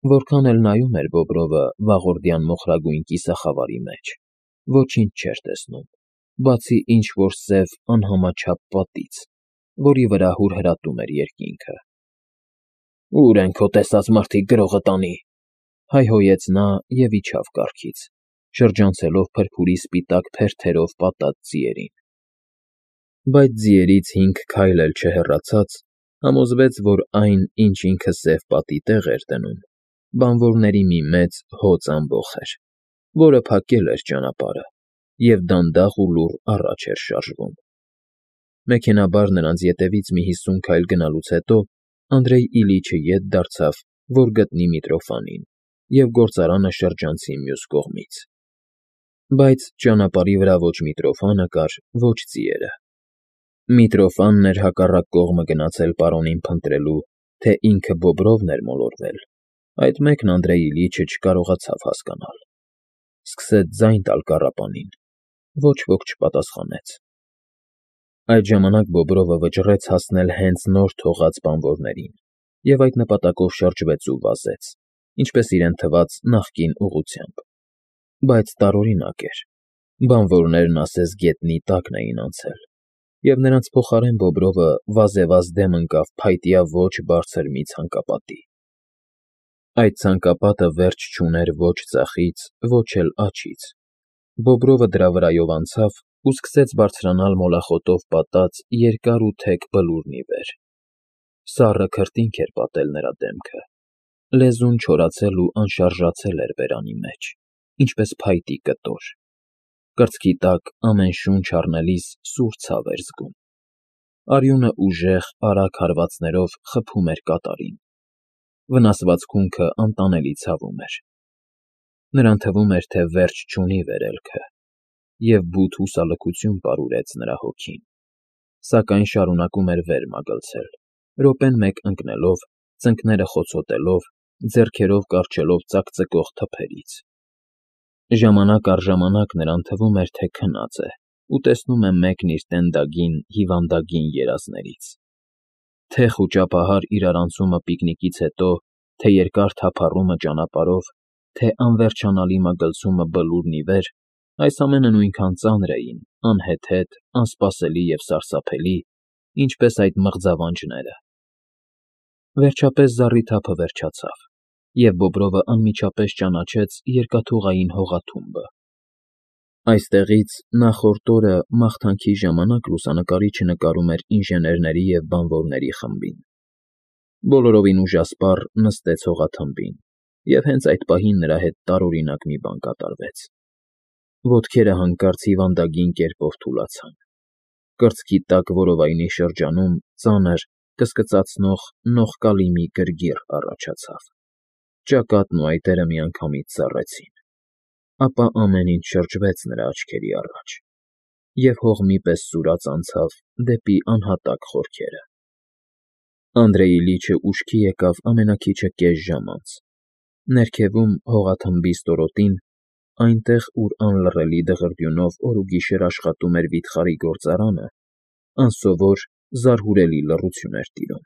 Որքան էլ նայում էր Բոբրովը վաղորդյան մոխրագույն կիսախավարի մեջ, ոչինչ չէր տեսնում, բացի ինչ֊որ սև անհամաչափ պատից, որի վրա հուրհրատում էր երկինքը։ «Ո՞ւր են քո տեսած մարդիկ գրողը տանի», հայհոյեց նա և իջավ կառքից, շրջանցելով փրփուրի սպիտակ փերթերով պատած ձիերին։ Բայց ձիերից 5 քայլ էլ չհեռացած, համոզվեց, որ այն, ինչ ինքը սև պատի տեղ էր դնում, բանվորների մի մեծ հոծ ամբոխ էր, որը փակել էր ճանապարհը և դանդաղ ու լուռ առաջ էր շարժվում։ Մեքենայաբար նրանց ետևից մի 50 քայլ գնալուց հետո Անդրեյ Իլիչը ետ դարձավ, որ գտնի Միտրոֆանին, և գործարանը շրջանցի մյուս կողմից։ Բայց ճանապարհի վրա ոչ Միտրոֆանը կար, ոչ ձիերը։ Միտրոֆանն էր հակառակ կողմը գնացել պարոնին փնտրելու, թե ինքը Բոբրովն էր մոլորվել, այդ մեկն Անդրեյ Իլիչը չկարողացավ հասկանալ։ Սկսեց ձայն տալ կառապանին, ոչ ոք չպատասխանեց։ Այդ ժամանակ Բոբրովը վճռեց հասնել հենց նոր թողած բանվորներին և այդ նպատակով շրջվեց ու վազեց, ինչպես իրեն թվաց նախկին ուղղությամբ։ Բայց տարօրինակ էր, բանվորներն ասես գետնի տակն էին անցել, և նրանց փոխարեն Բոբրովը վազեվազ դեմ ընկավ փայտյա ոչ բարձր մի ցանկապատի։ Այդ ցանկապատը վերջ չուներ ոչ ձախից, ոչ էլ աջից։ Բոբրովը դրա վրայով անցավ ու սկսեց բարձրանալ մոլախոտով պատած երկար ու թեք բլուրն ի վեր։ Սառը քրտինք էր պատել նրա դեմքը, լեզուն չորացել ու անշարժացել էր բերանի մեջ, ինչպես փայտի կտոր։ Կրծքի տակ ամեն շունչ առնելիս սուր ցավ էր զգում։ Արյունը ուժեղ, արագ հարվածներով խփում էր կատարին։ Վնասված քունքը անտանելի ցավում էր։ Նրան թվում էր, թե վերջ չունի վերելքը, և բութ հուսալքություն պարուրեց նրա հոգին, սակայն շարունակում էր վեր մագլցել, րոպեն մեկ ընկնելով, ծնկները խոցոտելով, ձեռքերով կառչելով ծակծկող թփերից։ Ժամանակ առ ժամանակ նրան թվում էր, թե քնած է ու տեսնում է մեկն իր տենդագին, հիվանդագին երազներից։ Թե խուճապահար իրարանցումը պիկնիկից հետո, թե երկար թափառումը ճանապարհով, թե անվերջանալի մագլցումը բլուրն ի վեր, այս ամենը նույնքան ծանր էին, անհեթեթ, անսպասելի և սարսափելի, ինչպես այդ մղձավանջները։ Վերջապես զառիթափը վերջացավ, և Բոբրովը անմիջապես ճանաչեց երկաթուղային հողաթումբը։ Այստեղից նախորդ օրը մաղթանքի ժամանակ լուսանկարիչը նկարում էր ինժեներների և բանվորների խմբին։ Բոլորովին ուժասպառ նստեց հողաթմբին, և հենց այդ պահին նրա հետ տարօրինակ մի բան կատարվեց։ Ոտքերը հանկարծ հիվանդագին կերպով թուլացան։ Կրծքի տակ որովայնի շրջանում ծանր, կսկծացնող, նողկալի մի գրգիռ առաջացավ։ Ճակատն ու այտերը միանգամից ծառեցին։ Ապա ամեն ինչ շրջվեց նրա աչքերի առաջ, և հող մի պես սուրաց անցավ դեպի անհատակ խորքերը։ Անդրեյ Իլիչը ուշքի եկավ ամենաքիչը կես ժամ անց։ Ներքևում, հողաթմբի ստորոտին, այնտեղ, ուր անլռելի դղրդյունով օր ու գիշեր աշխատում էր վիթխարի գործարանը, անսովոր, զարհուրելի լռություն էր տիրում։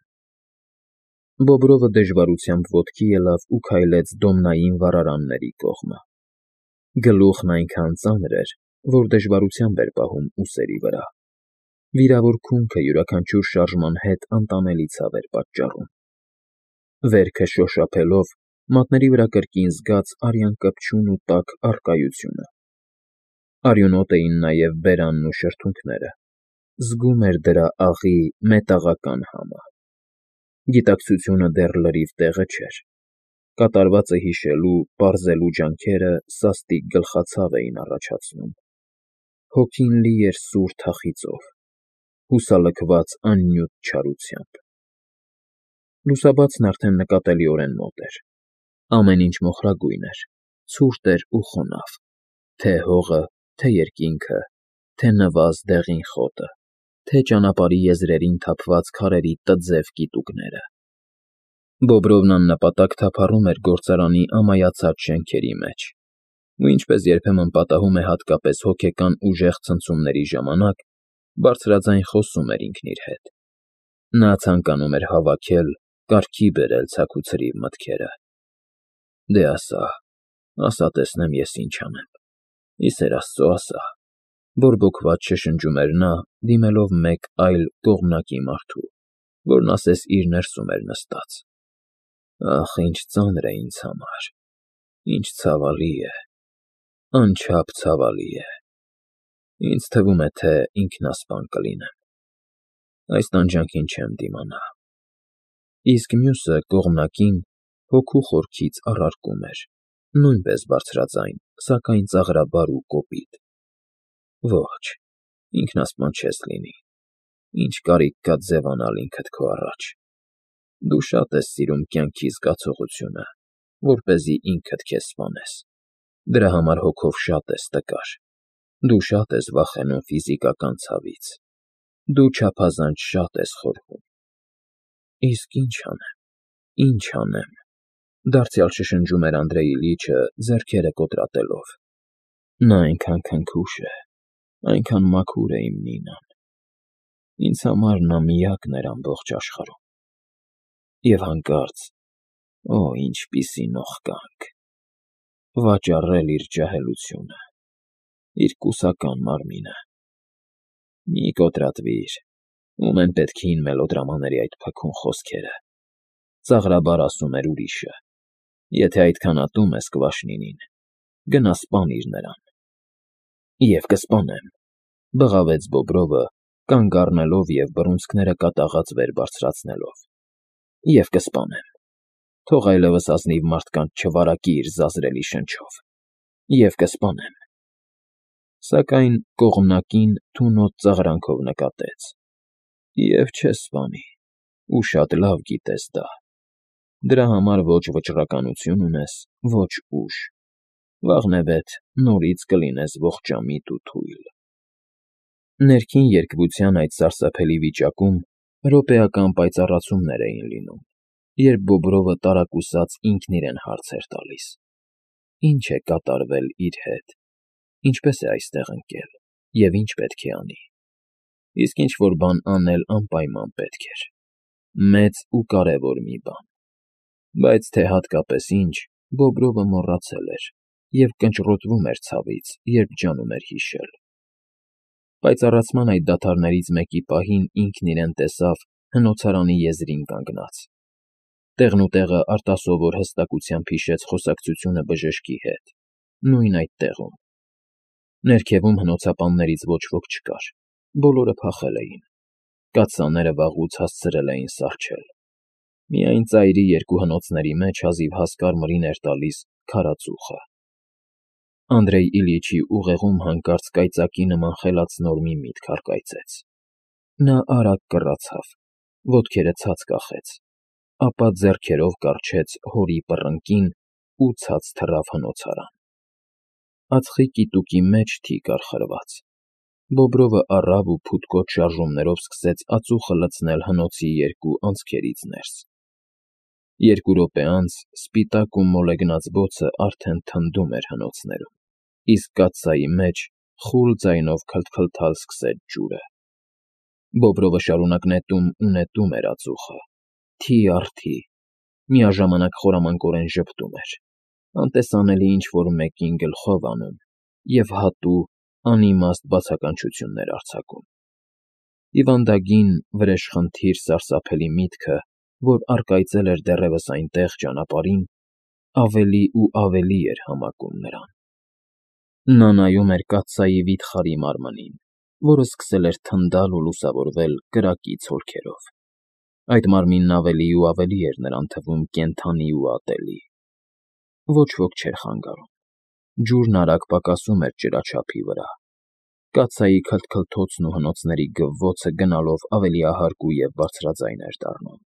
Բոբրովը դժվարությամբ ոտքի ելավ ու քայլեց դոմնային վառարանների կողմը։ Գլուխն այնքան ծանր էր, որ դժվարությամբ էր պահում ուսերի վրա։ Վիրավոր քունքը յուրաքանչյուր շարժման հետ անտանելի ցավ էր պատճառում։ Վերքը շոշափելով, մատների վրա կրկին զգաց արյան կպչուն ու տաք առկայությունը։ Արյունոտ էին նաև բերանն ու շրթունքները։ Զգում էր դրա աղի, մետաղական համը։ Գիտակցությունը դեռ լրիվ տեղը չէր։ Կատարվածը հիշելու, պարզելու ջանքերը սաստիկ գլխացավ էին առաջացնում։ Հոգին լի էր սուր թախիծով, հուսալքված աննյութ չարությամբ։ Լուսաբացն արդեն նկատելիորեն մոտ էր։ Ամեն ինչ մոխրագույն էր, ցուրտ էր ու խոնավ, թե հողը, թե երկինքը, թե նվազ դեղին խոտը, թե ճանապարհի եզրերին թափված քարերի տձև կիտուկները։ Բոբրովն աննպատակ թափառում էր գործարանի ամայացած շենքերի մեջ, ու ինչպես երբեմն պատահում է հատկապես հոգեկան ուժեղ ցնցումների ժամանակ, բարձրաձայն խոսում էր ինքն իր հետ։ Նա ցանկանում էր հավաքել, կարգի բերել ցաքուցրիվ մտքերը։ Դե ասա տեսնեմ ես ինչ անեմ։ Իսեր Աստծո ասա, բորբոքված շշնջում էր նա, դիմելով մեկ այլ կողմնակի մարդու, որն ասես իր ներսում էր նստած։ Ախ, ինչ ծանր է ինձ համար, ինչ ցավալի է, անչափ ցավալի է։ Ինձ թվում է, թե ինքնասպան կլինեմ։ Այս տանջանքին չեմ դիմանա։ Իսկ մյուսը կողմնակին հոգու խորքից առարկում էր, նույնպես բարձրաձայն, սակայն ծաղրաբար ու կոպիտ. Ոչ, ինքնասպան չես լինի, ինչ կարիք կա ձևանալ ինքդ քո առաջ։ Դու շատ ես սիրում կյանքի զգացողությունը, որպեսզի ինքդ քեզ սպանես, դրա համար հոգով շատ ես տկար, դու շատ ես վախենում ֆիզիկական ցավից, դու չափազանց շատ ես խորհում։ Իսկ ինչ անեմ, դարձյալ շշնջում էր Անդրեյ Իլիչը, ձեռքերը կոտրատելով։ Նա այնքան քնքուշ է, այնքան մաքուր է իմ Նինան։ Ինձ համար նա միակն էր ամբողջ աշխարհում։ Եվ հանկարծ, օ, ինչպիսի նողկանք, վաճառել իր ջահելությունը, իր կուսական մարմինը։ Մի կոտրատվիր, ում են պետք հին մելոդրամաների այդ փքուն խոսքերը, ծաղրաբար ասում էր ուրիշը։ Եթե այդքան ատում ես Կվաշնինին, գնա սպանիր նրան։ Եվ կսպանեմ, բղավեց Բոբրովը, կանգ առնելով և բռունցքները կատաղած վեր բարձրացնելով։ Եվ կսպանեմ, թող այլևս ազնիվ մարդկանց չվարակի իր զազրելի շնչով։ Եվ կսպանեմ։ Սակայն կողմնակին թունոտ ծաղրանքով նկատեց. Եվ չես սպանի, ու շատ լավ գիտես դա։ Դրա համար ոչ վճռականություն ունես, ոչ ուժ։ Վաղնևեթ նորից կլինես ողջամիտ ու թույլ։ Ներքին երկվության այդ սարսափելի վիճակում րոպեական պայծառացումներ էին լինում, երբ Բոբրովը տարակուսած ինքն իրեն հարց էր տալիս. Ինչ է կատարվել իր հետ, ինչպես է այստեղ ընկել և ինչ պետք է անի։ Իսկ ինչ-որ բան անել անպայման պետք էր, մեծ ու կարևոր մի բան։ Բայց թե հատկապես ինչ, Բոբրովը մոռացել էր և կնճռոտվում էր ցավից, երբ ջանում էր հիշել։ Պայծառացման այդ դադարներից մեկի պահին ինքն իրեն տեսավ հնոցարանի եզրին կանգնած։ Տեղնուտեղը արտասովոր հստակությամբ հիշեց խոսակցությունը բժշկի հետ, նույն այդ տեղում։ Ներքևում հնոցապաններից ոչ ոք չկար, բոլորը փախել էին։ Կաթսաները վաղուց հասցրել էին սառչել։ Միայն ծայրի երկու հնոցների մեջ հազիվ հասկար-մրին էր տալիս քարածուխը։ Անդրեյ Իլիչի ուղեղում հանկարծ կայծակի նման խելացնոր մի միտք առկայծեց։ Նա արագ կռացավ, ոտքերը ցած կախեց, ապա ձեռքերով կառչեց հորի պռնկին ու ցած թռավ հնոցարան։ Ածխի կիտուկի մեջ թիկ կար խրված։ Բոբրովը առավ ու փութկոտ շարժումներով սկսեց ածուխը լցնել հնոցի երկու անցքերից ներս։ 2 րոպե անց սպիտակ ու մոլեգնած բոցը արդեն թնդում էր հնոցներում, իսկ կաթսայի մեջ խուլ ձայնով քլթքլթալ սկսեց ջուրը։ Բոբրովը շարունակ նետում ու նետում էր ածուխը, թի առ թի, միաժամանակ խորամանկորեն ժպտում էր, անտեսանելի ինչ-որ մեկին գլխով անում և հատու, անիմաստ բացականչություններ արձակում։ Հիվանդագին, վրեժխնդիր սարսափելի միտքը, որ առկայծել էր դեռևս այնտեղ ճանապարհին, ավելի ու ավելի էր համակում նրան։ Նա նայում էր կաթսայի վիթխարի մարմնին, որը սկսել էր թնդալ ու լուսավորվել կրակից հոլքերով։ Այդ մարմինն ավելի ու ավելի էր նրան թվում կենդանի ու ատելի։ Ոչ ոք չէր խանգարում։ Ջուրն արագ պակասում էր ջրաչափի վրա։ Կաթսայի քլթքլթոցն ու հնոցների գվվոցը գնալով ավելի ահարկ և բարձրաձայն էր դառնում։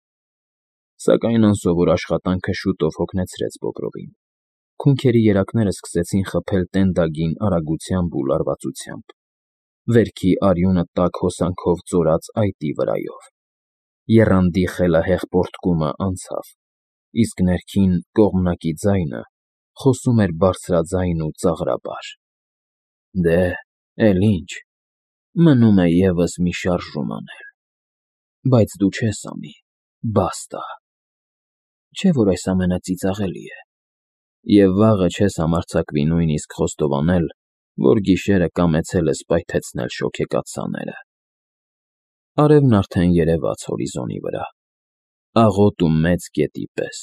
Սակայն անսովոր աշխատանքը շուտով հոգնեցրեց Բոբրովին։ Քունքերի երակները սկսեցին խփել տենդագին արագությամբ ու լարվածությամբ։ Վերքի արյունը տաք հոսանքով ծորաց այտի վրայով։ Եռանդի խելահեղ պոռթկումը անցավ, իսկ ներքին կողմնակի ձայնը խոսում էր բարձրաձայն ու ծաղրաբար. Դե, էլ ինչ, մնում է ևս մի շարժում անել։ Բայց դու չես անի, բաստա։ Չէ՞ որ այս ամենը ծիծաղելի է։ Եվ վաղը չես համարձակվի նույնիսկ խոստովանել, որ գիշերը կամեցել ես պայթեցնել շոգեկաց սաները։ Արևն արդեն երևաց հորիզոնի վրա, աղոտ ու մեծ գետի պես,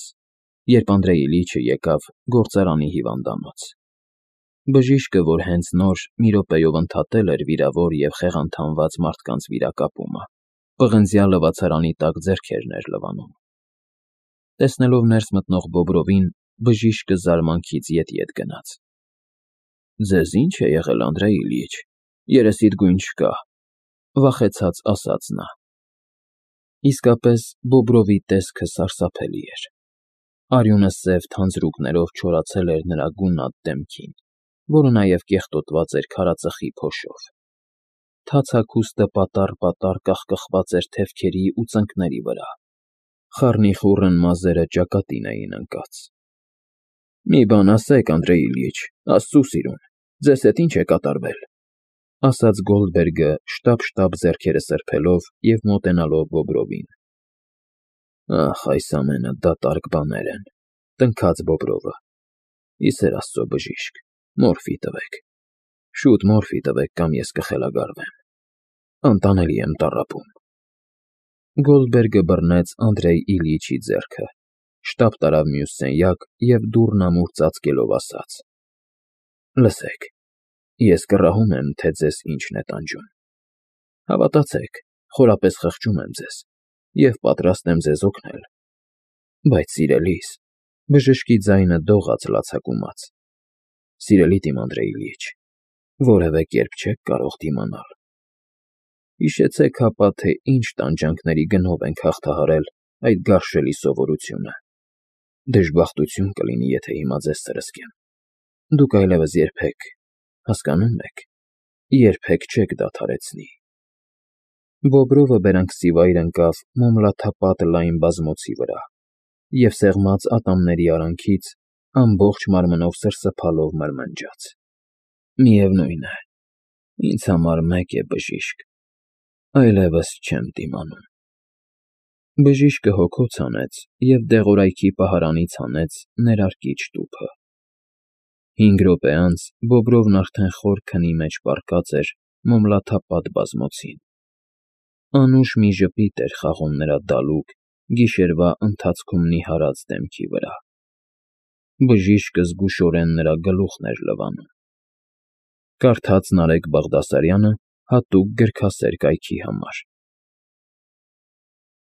երբ Անդրեյ Իլիչը եկավ գործարանի հիվանդանոց։ Բժիշկը, որ հենց նոր մի րոպեով ընդհատել էր վիրավոր և խեղանթանված մարդկանց վիրակապումը, պղնձյա լվացարանի տակ ձեռքերն էր լվանում։ Տեսնելով ներս մտնող Բոբրովին, բժիշկը զարմանքից ետ գնաց։ Ձեզ ի՞նչ է եղել, Անդրեյ Իլիչ, երեսիդ գույն չկա, վախեցած ասաց նա։ Իսկապես Բոբրովի տեսքը սարսափելի էր։ Արյունը սև թանձրուկներով չորացել էր նրա գունատ դեմքին, որը նաև կեղտոտված էր քարածխի փոշով։ Թաց հագուստը պատառ կախկխված էր թևքերի ու ծնկների վրա։ Խառնիխուռն մազերը ճակատին էին ընկած։ Մի բան ասեք, Անդրեյ Իլիչ, աստծու սիրուն, ձեզ հետ ինչ է կատարվել, ասաց Գոլդբերգը, շտապ ձեռքերը սրբելով և մոտենալով Բոբրովին։ Ախ, այս ամենը դատարկ բաներ են, տնքաց Բոբրովը։ Ի սեր Աստծո, բժիշկ, մորֆի տվեք, շուտ մորֆի տվեք, կամ ես կխելագարվեմ, անտանելի եմ տառապում։ Գոլդբերգը բռնեց Անդրեյ Իլիչի ձեռքը, շտապ տարավ մյուս սենյակ և դուռն ամուր ծածկելով ասաց. Լսեք, ես կռահում եմ, թե ձեզ ինչն է տանջում։ Հավատացեք, խորապես խղճում եմ ձեզ և պատրաստ եմ ձեզ օգնել։ Բայց սիրելիս, բժշկի ձայնը դողաց լացակումած, սիրելիդ իմ Անդրեյ Իլիչ, որևէ կերպ չեք կարող դիմանալ։ Հիշեցեք հապա, թե ինչ տանջանքների գնով ենք հաղթահարել այդ գարշելի սովորությունը։ Դժբախտություն կլինի, եթե հիմա ձեզ սրսկեմ։ Դուք այլևս երբեք, հասկանո՞ւմ եք, երբեք չեք դադարեցնի։ Բոբրովը բերանքսիվայր ընկավ մոմլաթափատ լայն բազմոցի վրա և սեղմած ատամների արանքից ամբողջ մարմնով սրսփալով մրմնջաց. Միևնույն է, ինձ համար մեկ է, բժիշկ, այլևս չեմ դիմանում։ Բժիշկը հոգոց հանեց և դեղորայքի պահարանից հանեց ներարկիչ տուփը։ 5 րոպե անց Բոբրովն արդեն խոր քնի մեջ պառկած էր մոմլաթափատ բազմոցին։ Անուշ մի ժպիտ էր խաղում նրա դալուկ, գիշերվա ընթացքում նիհարած դեմքի վրա։ Բժիշկը զգուշորեն նրա գլուխն էր լվանում։ Կարդաց Նարեկ Բաղդասարյանը հատուկ գրքասեր կայքի համար։